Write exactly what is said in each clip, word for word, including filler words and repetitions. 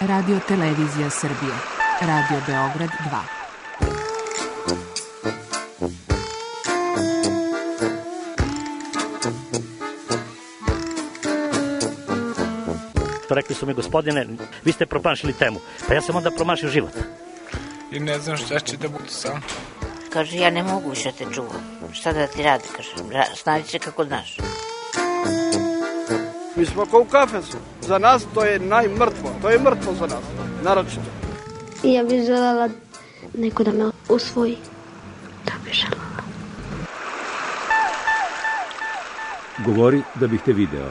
Radio Televizija Srbije, Radio Beograd dva. Rekli su mi, gospodine, vi ste promašili temu. Pa ja sam onda promašio život. I ne znam šta će da bude sam. Kaže, ja ne mogu više te čuvam. Šta da ti radi, kaže, snađi se kako znaš. Mi smo kao u kafesu. Za nas to je najmrtvo. To je mrtvo za nas, naročito. I ja bih želela neko da me usvoji. Da bih želela. Govori da bih te video.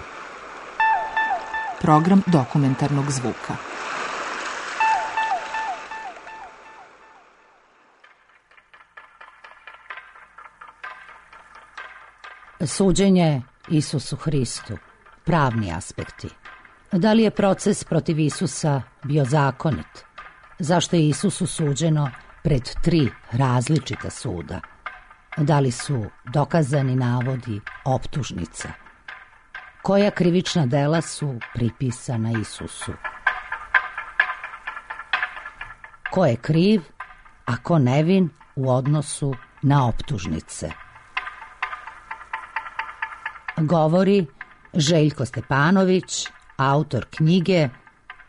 Program dokumentarnog zvuka. Suđenje Isusu Hristu. Pravni aspekti. Da li je proces protiv Isusa bio zakonit? Zašto je Isusu suđeno pred tri različita suda? Da li su dokazani navodi optužnica? Koja krivična dela su pripisana Isusu? Ko je kriv, a ko nevin u odnosu na optužnice? Govori Željko Stepanović, autor knjige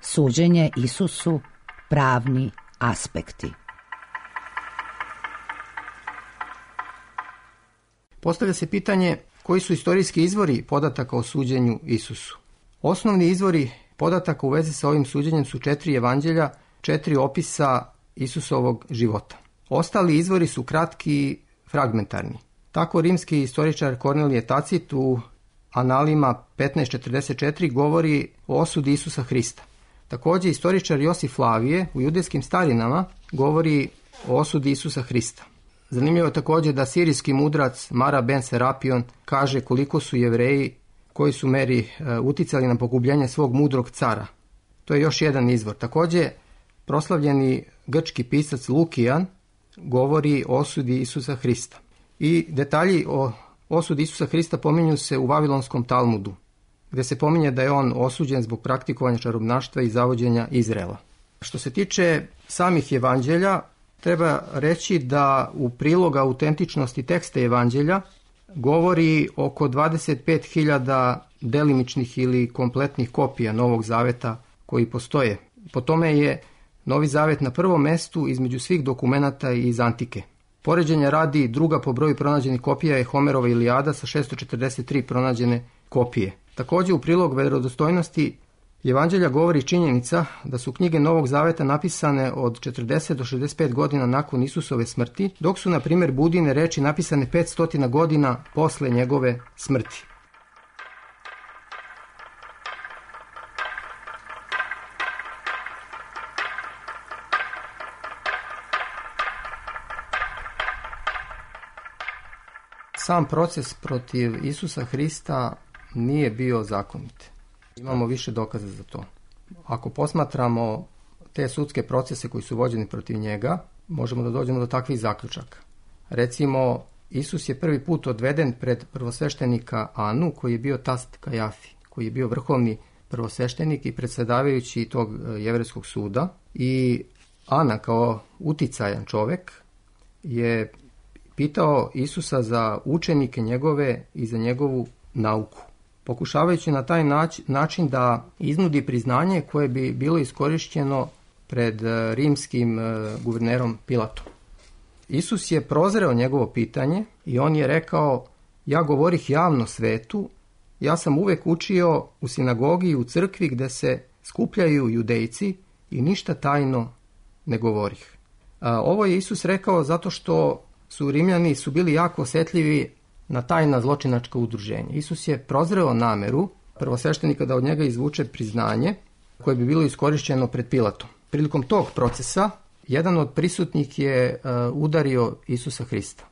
Suđenje Isusu, pravni aspekti. Postavlja se pitanje koji su istorijski izvori podataka o suđenju Isusu. Osnovni izvori podataka u vezi sa ovim suđenjem su četiri evanđelja, četiri opisa Isusovog života. Ostali izvori su kratki i fragmentarni. Tako rimski istoričar Kornelije Tacit u Analima petnaest četrdeset četiri govori o osudi Isusa Hrista. Također istoričar Josif Flavije u Judejskim starinama govori o osudi Isusa Hrista. Zanimljivo je također da sirijski mudrac Mara ben Serapion kaže koliko su Jevreji koji su meri e, uticali na pogubljenje svog mudrog cara. To je još jedan izvor. Također proslavljeni grčki pisac Lukijan govori o osudi Isusa Hrista. I detalji o osudi Isusa Hrista pominju se u Vavilonskom Talmudu, gdje se pominje da je on osuđen zbog praktikovanja čarobnaštva i zavođenja Izraela. Što se tiče samih evanđelja, treba reći da u prilog autentičnosti teksta evanđelja govori oko dvadeset pet hiljada delimičnih ili kompletnih kopija Novog Zaveta koji postoje. Po tome je Novi Zavet na prvom mestu između svih dokumenata iz Antike. Poređenja radi, druga po broju pronađenih kopija je Homerova Ilijada sa šesto četrdeset tri pronađene kopije. Također u prilog vjerodostojnosti evanđelja govori činjenica da su knjige Novog Zaveta napisane od četrdeset do šezdeset pet godina nakon Isusove smrti, dok su, na primjer, Budine reči napisane petsto godina posle njegove smrti. Sam proces protiv Isusa Hrista nije bio zakonit. Imamo više dokaza za to. Ako posmatramo te sudske procese koji su vođeni protiv njega, možemo da dođemo do takvih zaključaka. Recimo, Isus je prvi put odveden pred prvosveštenika Anu, koji je bio tast Kajafi, koji je bio vrhovni prvosveštenik i predsjedavajući tog jevrejskog suda. I Ana, kao uticajan čovek, je pitao Isusa za učenike njegove i za njegovu nauku, pokušavajući na taj način da iznudi priznanje koje bi bilo iskorišćeno pred rimskim guvernerom Pilatom. Isus je prozreo njegovo pitanje i on je rekao: ja govorih javno svetu, ja sam uvek učio u sinagogi i u crkvi gde se skupljaju judejci i ništa tajno ne govorih. Ovo je Isus rekao zato što su Rimljani su bili jako osjetljivi na tajna zločinačka udruženja. Isus je prozreo nameru prvosveštenika da od njega izvuče priznanje koje bi bilo iskorišćeno pred Pilatom. Prilikom tog procesa jedan od prisutnih je uh, udario Isusa Hrista.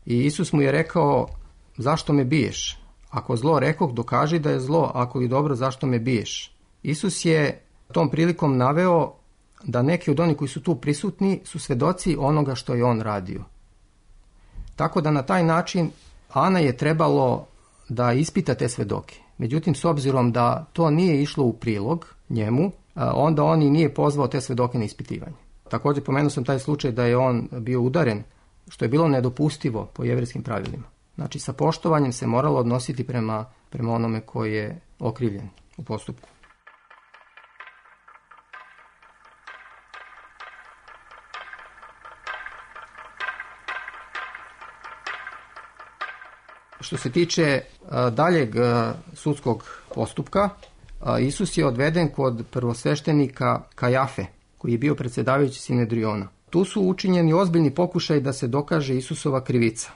I Isus mu je rekao: zašto me biješ? Ako zlo rekoh, dokaži da je zlo, ako li dobro, zašto me biješ? Isus je tom prilikom naveo da neki od onih koji su tu prisutni su svedoci onoga što je on radio. Tako da na taj način Ana je trebalo da ispita te svedoke. Međutim, s obzirom da to nije išlo u prilog njemu, onda on i nije pozvao te svedoke na ispitivanje. Također pomenuo sam taj slučaj da je on bio udaren, što je bilo nedopustivo po jevrejskim pravilima. Znači sa poštovanjem se moralo odnositi prema, prema onome koji je okrivljen u postupku. Što se tiče a, daljeg a, sudskog postupka, a, Isus je odveden kod prvosveštenika Kajafe, koji je bio predsjedavajući Sinedriona. Tu su učinjeni ozbiljni pokušaj da se dokaže Isusova krivica.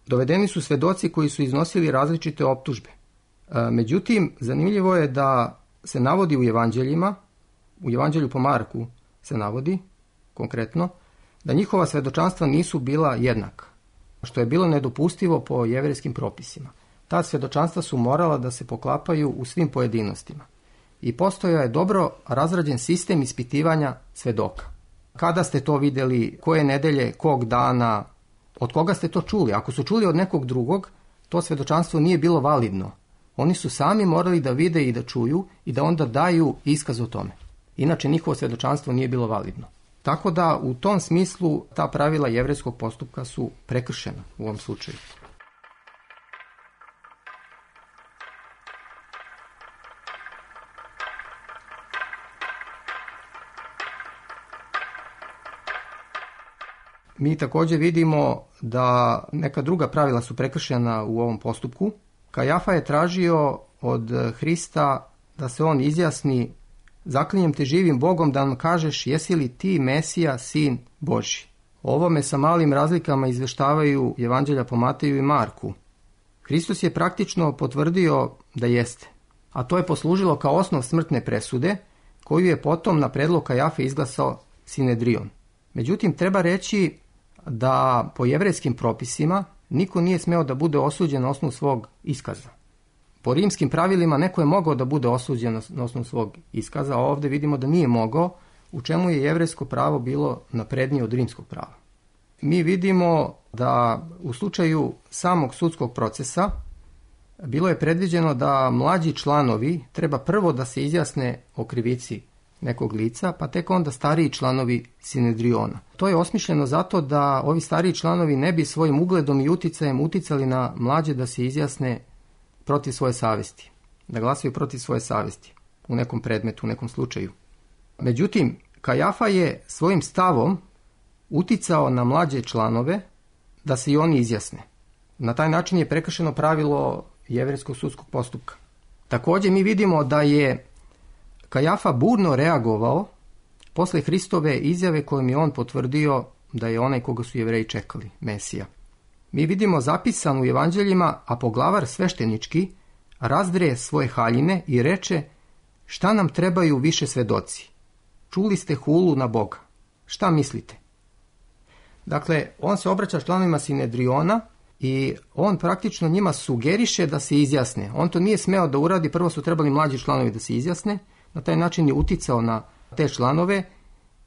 Dovedeni su svedoci koji su iznosili različite optužbe. A, međutim, zanimljivo je da se navodi u evanđeljima, u evanđelju po Marku se navodi konkretno, da njihova svedočanstva nisu bila jednaka, što je bilo nedopustivo po jevrejskim propisima. Ta svjedočanstva su morala da se poklapaju u svim pojedinostima. I postojao je dobro razrađen sistem ispitivanja svedoka. Kada ste to vidjeli, koje nedelje, kog dana, od koga ste to čuli? Ako su čuli od nekog drugog, to svjedočanstvo nije bilo validno. Oni su sami morali da vide i da čuju i da onda daju iskaz o tome. Inače, njihovo svjedočanstvo nije bilo validno. Tako da u tom smislu ta pravila jevrejskog postupka su prekršena u ovom slučaju. Mi također vidimo da neka druga pravila su prekršena u ovom postupku. Kajafa je tražio od Hrista da se on izjasni: zaklinjem te živim Bogom da nam kažeš jesi li ti Mesija, sin Božji. O ovome sa malim razlikama izveštavaju evanđelja po Mateju i Marku. Hristos je praktično potvrdio da jeste, a to je poslužilo kao osnov smrtne presude koju je potom na predlog Kajafe izglasao Sinedrion. Međutim, treba reći da po jevrejskim propisima niko nije smeo da bude osuđen na osnovu svog iskaza. Po rimskim pravilima neko je mogao da bude osuđen na osnovu svog iskaza, a ovdje vidimo da nije mogao, u čemu je jevrejsko pravo bilo naprednije od rimskog prava. Mi vidimo da u slučaju samog sudskog procesa bilo je predviđeno da mlađi članovi treba prvo da se izjasne o krivici nekog lica, pa tek onda stariji članovi Sinedriona. To je osmišljeno zato da ovi stariji članovi ne bi svojim ugledom i uticajem uticali na mlađe da se izjasne protiv svoje savjesti, da glasaju protiv svoje savjesti u nekom predmetu, u nekom slučaju. Međutim, Kajafa je svojim stavom uticao na mlađe članove da se i oni izjasne. Na taj način je prekršeno pravilo jevrejskog sudskog postupka. Također mi vidimo da je Kajafa burno reagovao posle Hristove izjave kojom je on potvrdio da je onaj koga su Jevreji čekali, Mesija. Mi vidimo zapisano u evanđeljima, a poglavar sveštenički razdre svoje haljine i reče: šta nam trebaju više svedoci? Čuli ste hulu na Boga. Šta mislite? Dakle, on se obraća članovima Sinedriona i on praktično njima sugeriše da se izjasne. On to nije smeo da uradi, prvo su trebali mlađi članovi da se izjasne, na taj način je uticao na te članove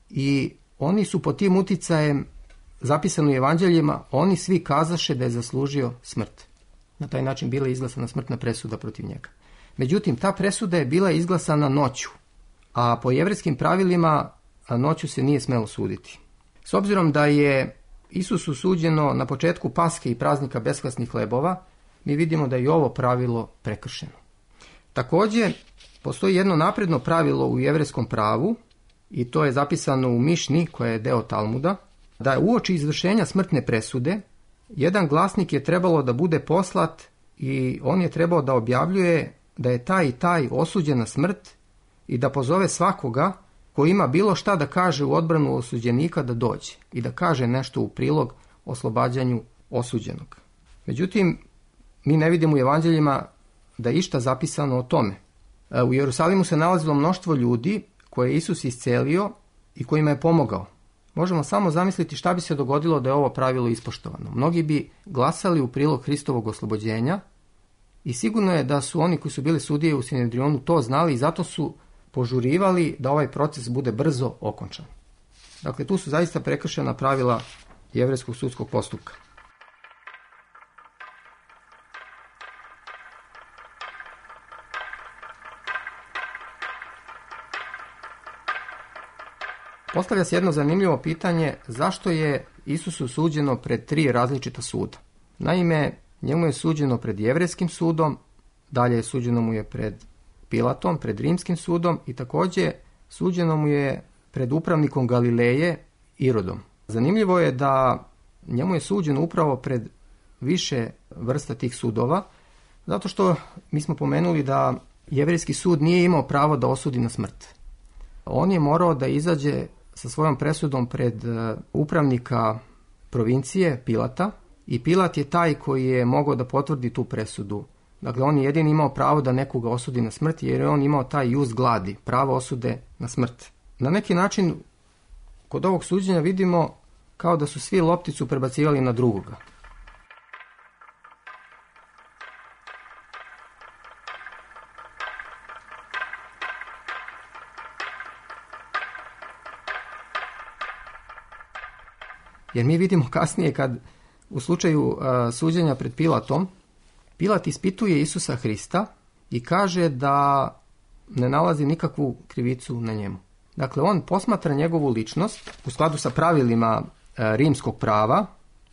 i oni su pod tim uticajem, zapisano u evanđeljima, oni svi kazaše da je zaslužio smrt. Na taj način bila je izglasana smrtna presuda protiv njega. Međutim, ta presuda je bila izglasana noću, a po jevrejskim pravilima noću se nije smelo suditi. S obzirom da je Isusu suđeno na početku Paske i praznika beskvasnih hlebova, mi vidimo da je i ovo pravilo prekršeno. Također, postoji jedno napredno pravilo u jevrejskom pravu, i to je zapisano u Mišni, koja je deo Talmuda, da je uoči izvršenja smrtne presude, jedan glasnik je trebalo da bude poslat i on je trebao da objavljuje da je taj i taj osuđen na smrt i da pozove svakoga ko ima bilo šta da kaže u odbranu osuđenika da dođe i da kaže nešto u prilog oslobađanju osuđenog. Međutim, mi ne vidimo u evanđeljima da je išta zapisano o tome. U Jerusalimu se nalazilo mnoštvo ljudi koje je Isus iscelio i kojima je pomogao. Možemo samo zamisliti šta bi se dogodilo da je ovo pravilo ispoštovano. Mnogi bi glasali u prilog Hristovog oslobođenja i sigurno je da su oni koji su bili sudije u Sinedrionu to znali i zato su požurivali da ovaj proces bude brzo okončan. Dakle, tu su zaista prekršena pravila jevrejskog sudskog postupka. Postavlja se jedno zanimljivo pitanje zašto je Isusu suđeno pred tri različita suda. Naime, njemu je suđeno pred jevrejskim sudom, dalje je suđeno mu je pred Pilatom, pred rimskim sudom i također suđeno mu je pred upravnikom Galileje Irodom. Zanimljivo je da njemu je suđeno upravo pred više vrsta tih sudova, zato što mi smo pomenuli da jevrejski sud nije imao pravo da osudi na smrt. On je morao da izađe sa svojom presudom pred upravnika provincije Pilata i Pilat je taj koji je mogao da potvrdi tu presudu. Dakle, on je jedini imao pravo da nekoga osudi na smrt jer je on imao taj jus gladi, pravo osude na smrt. Na neki način kod ovog suđenja vidimo kao da su svi lopticu prebacivali na drugoga. Jer mi vidimo kasnije kad u slučaju uh, suđenja pred Pilatom, Pilat ispituje Isusa Hrista i kaže da ne nalazi nikakvu krivicu na njemu. Dakle, on posmatra njegovu ličnost u skladu sa pravilima uh, rimskog prava,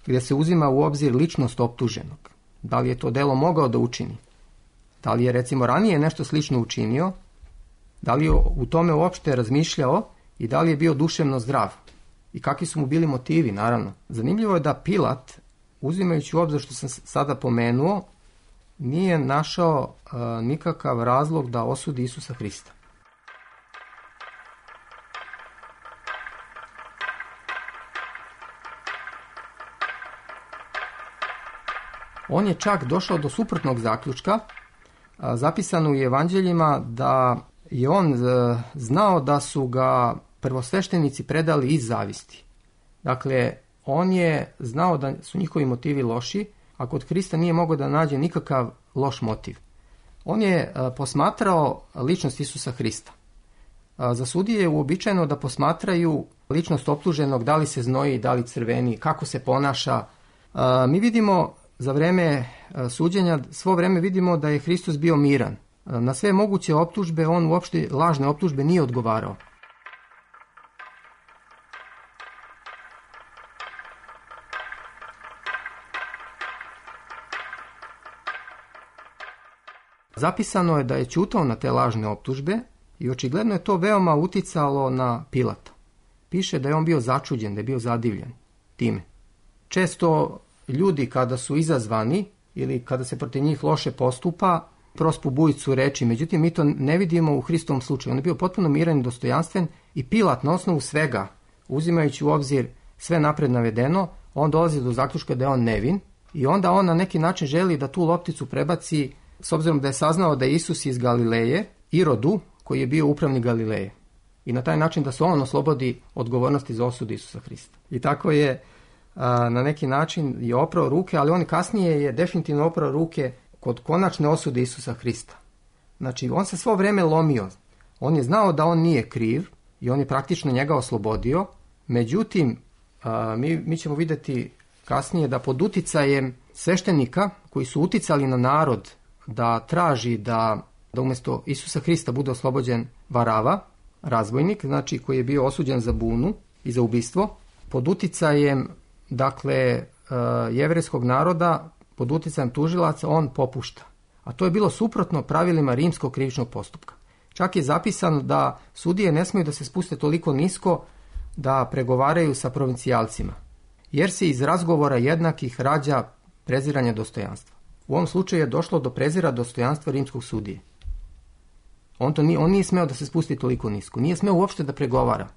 gdje se uzima u obzir ličnost optuženog. Da li je to delo mogao da učini? Da li je recimo ranije nešto slično učinio? Da li je u tome uopšte razmišljao i da li je bio duševno zdrav? I kakvi su mu bili motivi, naravno. Zanimljivo je da Pilat, uzimajući u obzir što sam sada pomenuo, nije našao uh, nikakav razlog da osudi Isusa Hrista. On je čak došao do suprotnog zaključka. Uh, zapisano u evanđeljima da je on uh, znao da su ga prvosveštenici predali iz zavisti. Dakle, on je znao da su njihovi motivi loši, a kod Hrista nije mogao da nađe nikakav loš motiv. On je a, posmatrao ličnost Isusa Hrista. A, za sudije je uobičajeno da posmatraju ličnost optuženog, da li se znoji, da li crveni, kako se ponaša. A, mi vidimo za vreme a, suđenja, svo vreme vidimo da je Hristos bio miran. A, na sve moguće optužbe, on uopšte lažne optužbe nije odgovarao. Zapisano je da je ćutao na te lažne optužbe i očigledno je to veoma uticalo na Pilata. Piše da je on bio začuđen, da je bio zadivljen time. Često ljudi kada su izazvani ili kada se protiv njih loše postupa, prospu bujicu reči, međutim mi to ne vidimo u Hristovom slučaju. On je bio potpuno miran i dostojanstven i Pilat na osnovu svega, uzimajući u obzir sve napred navedeno, on dolazi do zaključka da je on nevin i onda on na neki način želi da tu lopticu prebaci, s obzirom da je saznao da je Isus iz Galileje, Irodu, koji je bio upravnik Galileje. I na taj način da se on oslobodi odgovornosti za osudu Isusa Hrista. I tako je a, na neki način je oprao ruke, ali on kasnije je definitivno oprao ruke kod konačne osude Isusa Hrista. Znači, on se svo vreme lomio. On je znao da on nije kriv i on je praktično njega oslobodio. Međutim, a, mi, mi ćemo vidjeti kasnije da pod uticajem sveštenika koji su uticali na narod da traži da, da umjesto Isusa Hrista bude oslobođen Varava, razbojnik, znači koji je bio osuđen za bunu i za ubistvo, pod uticajem dakle jevrejskog naroda, pod uticajem tužilaca on popušta. A to je bilo suprotno pravilima rimskog krivičnog postupka. Čak je zapisano da sudije ne smiju da se spuste toliko nisko da pregovaraju sa provincijalcima, jer se iz razgovora jednakih rađa preziranje dostojanstva. U ovom slučaju je došlo do prezira dostojanstva rimskog sudije. On, to nije, on nije smeo da se spusti toliko nisko. Nije smeo uopšte da pregovara.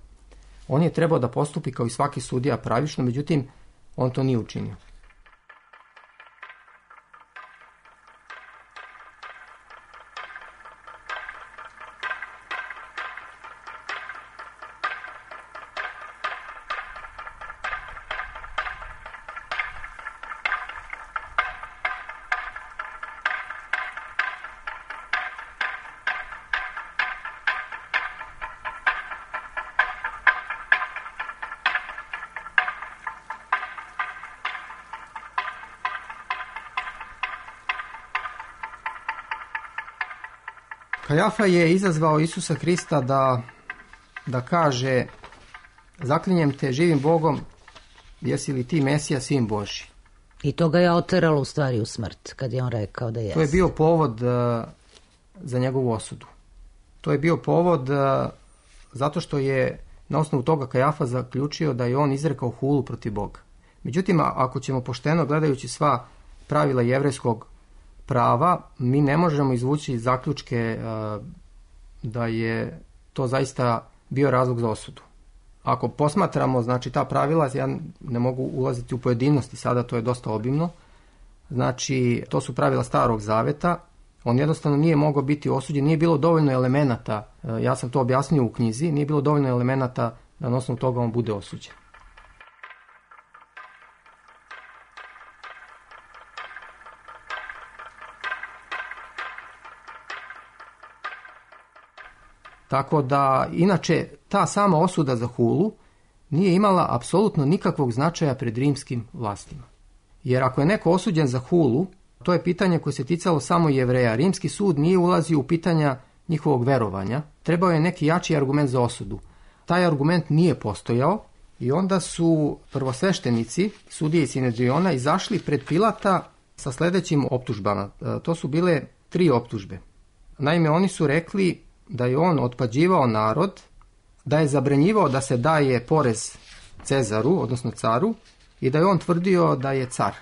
On je trebao da postupi kao i svaki sudija pravično, međutim, on to nije učinio. Kajafa je izazvao Isusa Hrista da, da kaže zaklinjem te živim Bogom, jesi li ti Mesija, sin Božji? I to ga je oteralo u stvari u smrt, kad je on rekao da jeste. To je bio povod uh, za njegovu osudu. To je bio povod uh, zato što je na osnovu toga Kajafa zaključio da je on izrekao hulu protiv Boga. Međutim, ako ćemo pošteno gledajući sva pravila jevrejskog prava, mi ne možemo izvući zaključke uh, da je to zaista bio razlog za osudu. Ako posmatramo, znači, ta pravila, ja ne mogu ulaziti u pojedinosti, sada to je dosta obimno, znači, to su pravila Starog zaveta, on jednostavno nije mogao biti osuđen, nije bilo dovoljno elemenata, ja sam to objasnio u knjizi, nije bilo dovoljno elemenata da na osnovu toga on bude osuđen. Tako da, inače, ta sama osuda za hulu nije imala apsolutno nikakvog značaja pred rimskim vlastima. Jer ako je neko osuđen za hulu, to je pitanje koje se ticalo samo Jevreja. Rimski sud nije ulazio u pitanja njihovog verovanja. Trebao je neki jači argument za osudu. Taj argument nije postojao i onda su prvosveštenici, sudije i Sinedriona, izašli pred Pilata sa sledećim optužbama. To su bile tri optužbe. Naime, oni su rekli da je on otpađivao narod, da je zabranjivao da se daje porez Cezaru, odnosno caru, i da je on tvrdio da je car.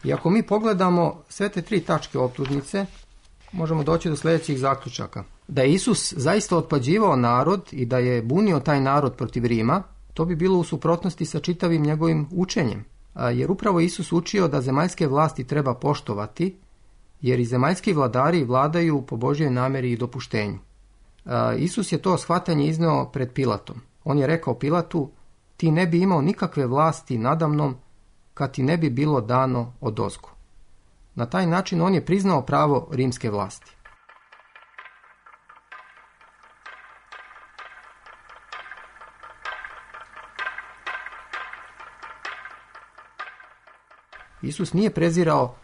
I ako mi pogledamo sve te tri tačke optužnice, možemo doći do sljedećih zaključaka. Da je Isus zaista otpađivao narod i da je bunio taj narod protiv Rima, to bi bilo u suprotnosti sa čitavim njegovim učenjem. Jer upravo Isus učio da zemaljske vlasti treba poštovati, jer i zemaljski vladari vladaju po Božjoj nameri i dopuštenju. Isus je to shvatanje izneo pred Pilatom. On je rekao Pilatu, ti ne bi imao nikakve vlasti nadamnom kad ti ne bi bilo dano odozgo. Na taj način on je priznao pravo rimske vlasti. Isus nije prezirao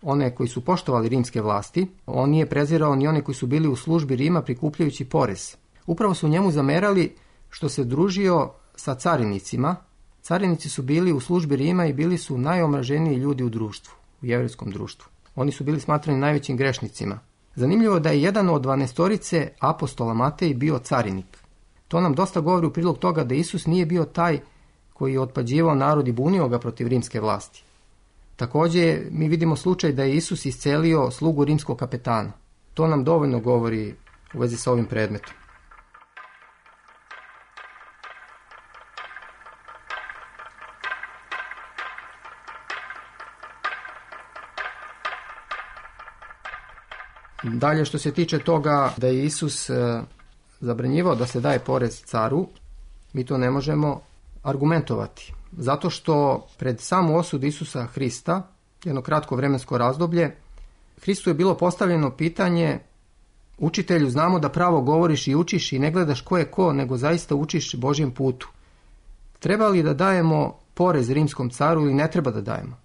one koji su poštovali rimske vlasti, on nije prezirao ni one koji su bili u službi Rima prikupljajući porez. Upravo su njemu zamerali što se družio sa carinicima. Carinici su bili u službi Rima i bili su najomraženiji ljudi u društvu, u jevrejskom društvu. Oni su bili smatrani najvećim grešnicima. Zanimljivo da je jedan od dvanaestorice apostola Matej bio carinik. To nam dosta govori u prilog toga da Isus nije bio taj koji je otpađivao narod i bunio ga protiv rimske vlasti. Također mi vidimo slučaj da je Isus iscelio slugu rimskog kapetana. To nam dovoljno govori u vezi sa ovim predmetom. Dalje, što se tiče toga da je Isus e, zabranjivao da se daje porez caru, mi to ne možemo argumentovati. Zato što pred samu osudu Isusa Hrista, jedno kratko vremensko razdoblje, Hristu je bilo postavljeno pitanje, učitelju, znamo da pravo govoriš i učiš i ne gledaš ko je ko, nego zaista učiš Božjem putu. Treba li da dajemo porez rimskom caru ili ne treba da dajemo?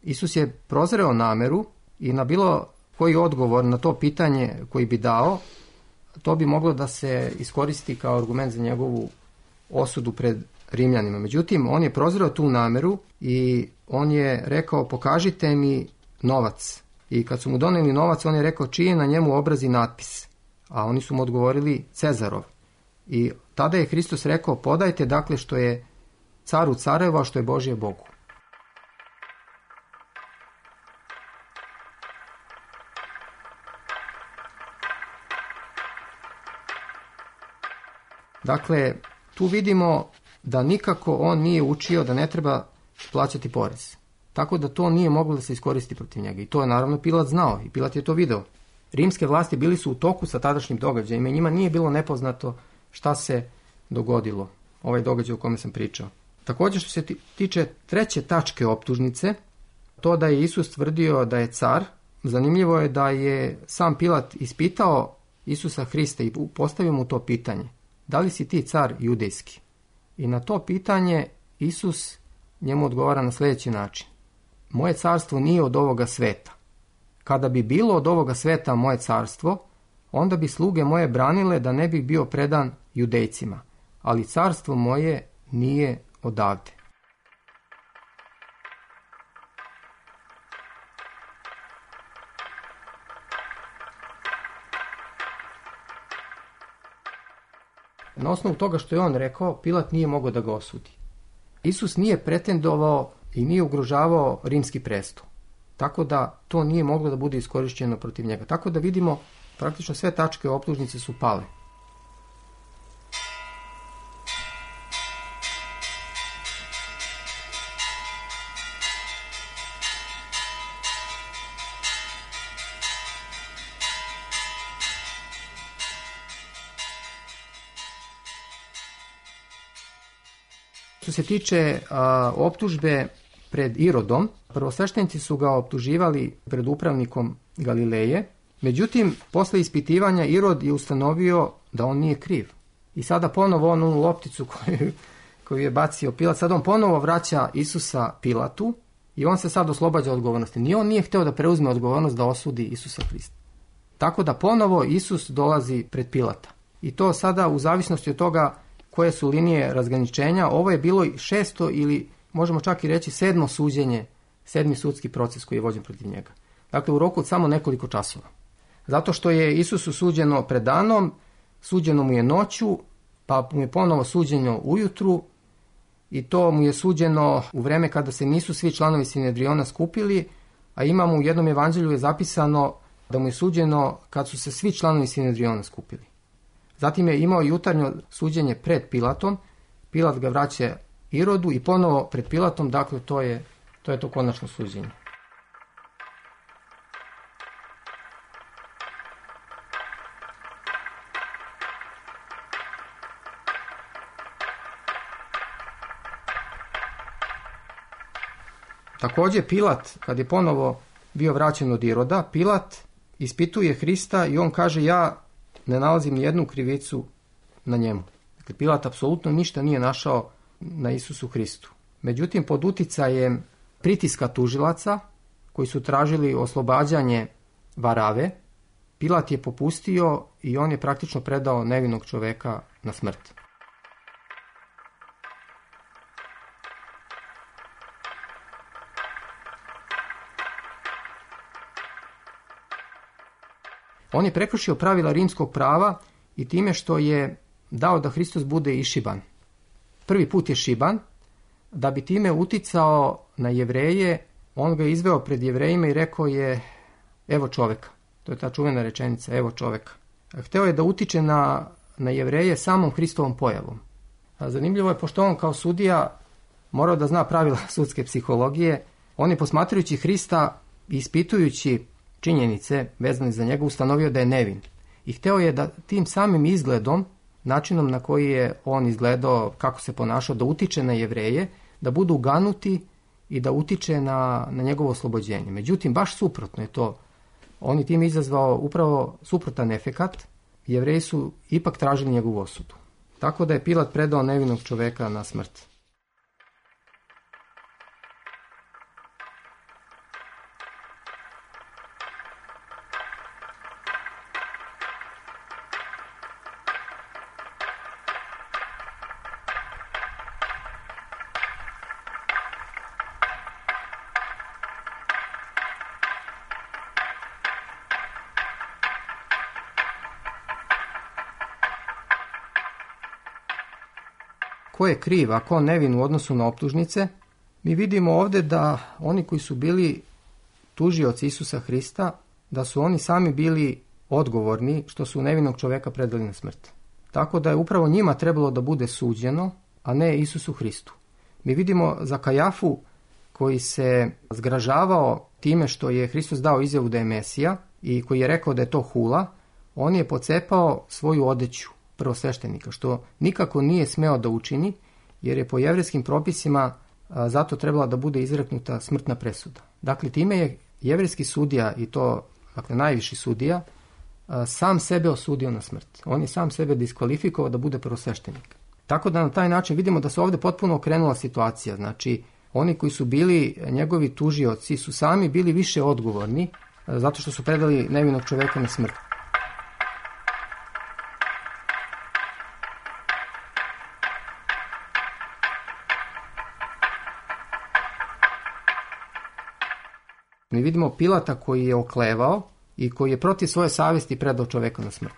Isus je prozreo nameru i na bilo koji odgovor na to pitanje koji bi dao, to bi moglo da se iskoristi kao argument za njegovu osudu pred Rimljanima. Međutim, on je prozreo tu nameru i on je rekao, pokažite mi novac. I kad su mu doneli novac, on je rekao, čiji je na njemu obraz i natpis. A oni su mu odgovorili, Cezarov. I tada je Hristos rekao, podajte dakle što je caru careva, što je Božje Bogu. Dakle, tu vidimo da nikako on nije učio da ne treba plaćati porez. Tako da to nije moglo da se iskoristi protiv njega. I to je naravno Pilat znao i Pilat je to video. Rimske vlasti bili su u toku sa tadašnjim događajima i njima nije bilo nepoznato šta se dogodilo, ovaj događaj o kome sam pričao. Također, što se tiče treće tačke optužnice, to da je Isus tvrdio da je car, zanimljivo je da je sam Pilat ispitao Isusa Hrista i postavio mu to pitanje. da li si ti car judejski? I na to pitanje Isus njemu odgovara na sljedeći način. Moje carstvo nije od ovoga sveta. Kada bi bilo od ovoga sveta moje carstvo, onda bi sluge moje branile da ne bih bio predan Judejcima, ali carstvo moje nije odavde. Na osnovu toga što je on rekao, Pilat nije mogao da ga osudi. Isus nije pretendovao i nije ugrožavao rimski presto. Tako da to nije moglo da bude iskorišćeno protiv njega. Tako da vidimo, praktično sve tačke optužnice su pale. Što se tiče a, optužbe pred Irodom, prvosveštenici su ga optuživali pred upravnikom Galileje, međutim, posle ispitivanja Irod je ustanovio da on nije kriv. I sada ponovo on onu lopticu koju, koju je bacio Pilat, sad on ponovo vraća Isusa Pilatu i on se sad oslobađa odgovornosti. Ni on nije hteo da preuzme odgovornost da osudi Isusa Hrista. Tako da ponovo Isus dolazi pred Pilata. I to sada u zavisnosti od toga koje su linije razgraničenja, ovo je bilo šesto ili možemo čak i reći sedmo suđenje, sedmi sudski proces koji je vođen protiv njega. Dakle, u roku od samo nekoliko časova. Zato što je Isusu suđeno pred danom, suđeno mu je noću, pa mu je ponovo suđeno ujutru i to mu je suđeno u vreme kada se nisu svi članovi Sinedriona skupili, a imamo u jednom evanđelju je zapisano da mu je suđeno kad su se svi članovi Sinedriona skupili. Zatim je imao jutarnjo suđenje pred Pilatom, Pilat ga vraća Irodu i ponovo pred Pilatom, dakle to je to, je to konačno suđenje. Također Pilat, kad je ponovo bio vraćen od Iroda, Pilat ispituje Hrista i on kaže ja ne nalazim ni jednu krivicu na njemu. Dakle, Pilat apsolutno ništa nije našao na Isusu Hristu. Međutim, pod uticajem pritiska tužilaca, koji su tražili oslobađanje Varave, Pilat je popustio i on je praktično predao nevinog čoveka na smrt. On je prekršio pravila rimskog prava i time što je dao da Hristos bude išiban. Prvi put je šiban, da bi time uticao na Jevreje, on ga je izveo pred Jevrejima i rekao je evo čoveka. To je ta čuvena rečenica, evo čoveka. Hteo je da utiče na, na Jevreje samom Hristovom pojavom. A zanimljivo je, pošto on kao sudija morao da zna pravila sudske psihologije, on je posmatrajući Hrista i ispitujući činjenice vezane za njega ustanovio da je nevin. I hteo je da tim samim izgledom, načinom na koji je on izgledao, kako se ponašao, da utiče na Jevreje, da budu ganuti i da utiče na, na njegovo oslobođenje. Međutim, baš suprotno je to. On je tim izazvao upravo suprotan efekat. Jevreji su ipak tražili njegovu osudu. Tako da je Pilat predao nevinog čoveka na smrt. Ko je kriv, a ko nevin u odnosu na optužnice, mi vidimo ovdje da oni koji su bili tužioci Isusa Hrista, da su oni sami bili odgovorni što su nevinog čoveka predali na smrt. Tako da je upravo njima trebalo da bude suđeno, a ne Isusu Hristu. Mi vidimo za Kajafu koji se zgražavao time što je Hristos dao izjavu da je Mesija i koji je rekao da je to hula, on je pocepao svoju odeću prvosveštenika, što nikako nije smeo da učini, jer je po jevrejskim propisima a, zato trebala da bude izreknuta smrtna presuda. Dakle, time je jevrejski sudija, i to dakle, najviši sudija, sam sebe osudio na smrt. On je sam sebe diskvalifikovao da bude prvosveštenik. Tako da na taj način vidimo da se ovdje potpuno okrenula situacija. Znači, oni koji su bili njegovi tužioci su sami bili više odgovorni zato što su predali nevinog čoveka na smrt. Mi vidimo Pilata koji je oklevao i koji je protiv svoje savjesti predao čoveka na smrt.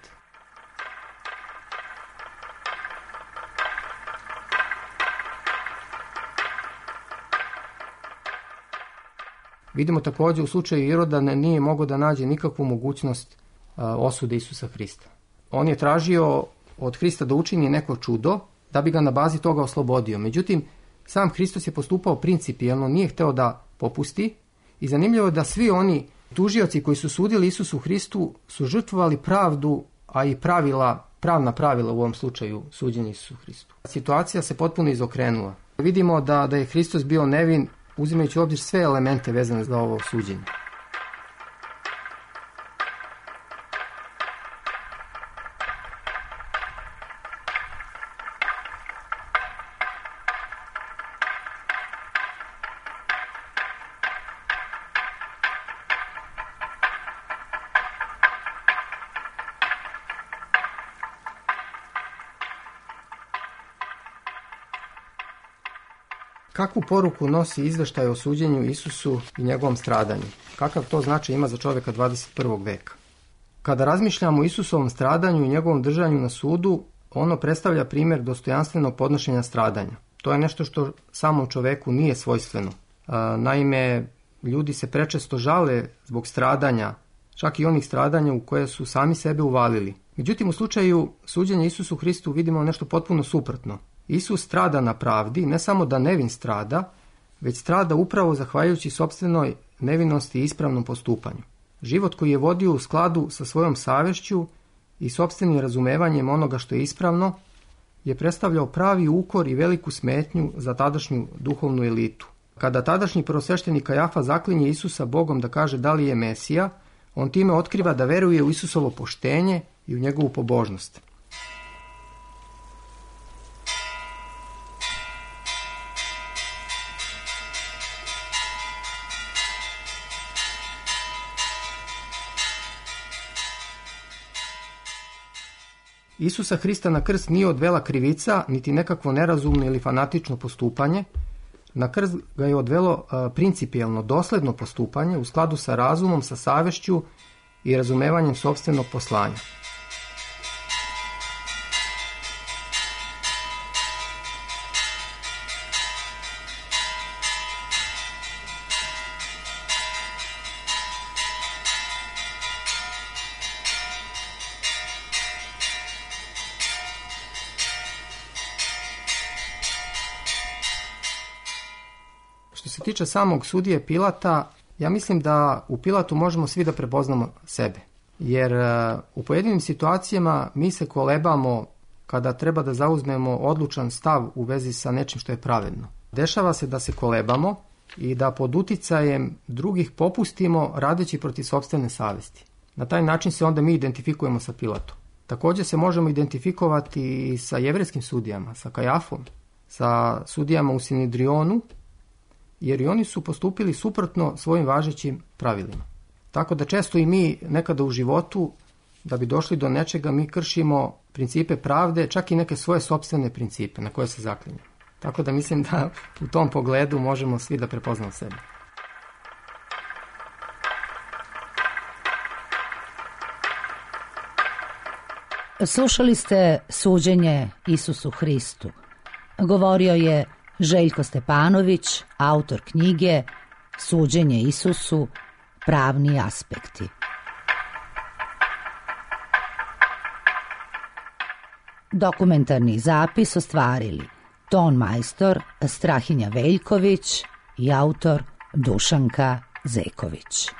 Vidimo također u slučaju Iroda da nije mogao da nađe nikakvu mogućnost a, osude Isusa Hrista. On je tražio od Hrista da učini neko čudo da bi ga na bazi toga oslobodio. Međutim, sam Hristos je postupao principijelno, nije hteo da popusti i zanimljivo je da svi oni tužioci koji su sudili Isusu Hristu su žrtvovali pravdu, a i pravila, pravna pravila u ovom slučaju suđenja Isusu Hristu. Situacija se potpuno izokrenula. Vidimo da, da je Hristos bio nevin uzimajući u obzir sve elemente vezane za ovo suđenje. Kakvu poruku nosi izveštaj o suđenju Isusu i njegovom stradanju? Kakav to značaj ima za čovjeka dvadeset prvog veka? Kada razmišljamo o Isusovom stradanju i njegovom držanju na sudu, ono predstavlja primjer dostojanstvenog podnošenja stradanja. To je nešto što samom čoveku nije svojstveno. Naime, ljudi se prečesto žale zbog stradanja, čak i onih stradanja u koje su sami sebe uvalili. Međutim, u slučaju suđenja Isusu Hristu vidimo nešto potpuno suprotno. Isus strada na pravdi, ne samo da nevin strada, već strada upravo zahvaljujući sopstvenoj nevinosti i ispravnom postupanju. Život koji je vodio u skladu sa svojom savješću i sopstvenim razumevanjem onoga što je ispravno je predstavljao pravi ukor i veliku smetnju za tadašnju duhovnu elitu. Kada tadašnji prvosveštenik Kajafa zaklinje Isusa Bogom da kaže da li je Mesija, on time otkriva da veruje u Isusovo poštenje i u njegovu pobožnost. Isusa Hrista na krst nije odvela krivica, niti nekakvo nerazumno ili fanatično postupanje. Na krst ga je odvelo a, principijelno, dosledno postupanje u skladu sa razumom, sa savješću i razumevanjem sopstvenog poslanja. Što se tiče samog sudije Pilata, ja mislim da u Pilatu možemo svi da prepoznamo sebe. Jer u pojedinim situacijama mi se kolebamo kada treba da zauzmemo odlučan stav u vezi sa nečim što je pravedno. Dešava se da se kolebamo i da pod uticajem drugih popustimo radeći protiv sopstvene savjesti. Na taj način se onda mi identifikujemo sa Pilatom. Također se možemo identifikovati i sa jevrejskim sudijama, sa Kajafom, sa sudijama u Sinedrionu, jer i oni su postupili suprotno svojim važećim pravilima. Tako da često i mi nekada u životu, da bi došli do nečega, mi kršimo principe pravde, čak i neke svoje sopstvene principe na koje se zaklinjemo. Tako da mislim da u tom pogledu možemo svi da prepoznamo sebe. Slušali ste suđenje Isusu Hristu. Govorio je Željko Stepanović, autor knjige Suđenje Isusu, pravni aspekti. Dokumentarni zapis ostvarili ton majstor Strahinja Veljković i autor Dušanka Zeković.